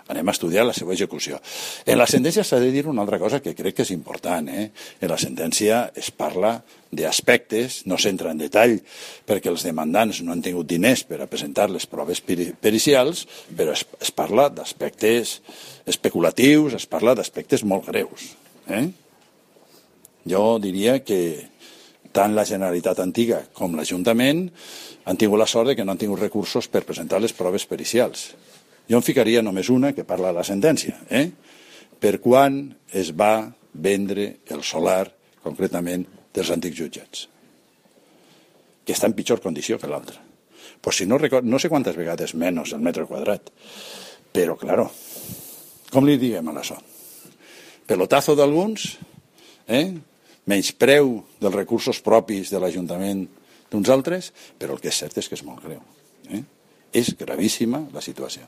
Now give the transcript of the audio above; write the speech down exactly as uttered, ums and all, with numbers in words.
Anem a estudiar la seva execució. En la sentència s'ha de dir una altra cosa que crec que és important. Eh? En la sentència es parla d'aspectes, no s'entra en detall perquè els demandants no han tingut diners per a presentar les proves pericials, però es, es parla d'aspectes especulatius, es parla d'aspectes molt greus. Eh? Jo diria que tant la Generalitat antiga com l'Ajuntament han tingut la sort de que no han tingut recursos per presentar les proves pericials. Jo en ficaria només una que parla de la sentència. Eh? Per quan es va vendre el solar, concretament, dels antics jutjats? Que està en pitjor condició que l'altre. Pues si no, record, no sé quantes vegades menys el metre quadrat. Però, claro, com li diguem a això? Pelotazo d'alguns, eh? menyspreu dels recursos propis de l'Ajuntament d'uns altres, però el que és cert és que és molt greu. Eh? És gravíssima la situació.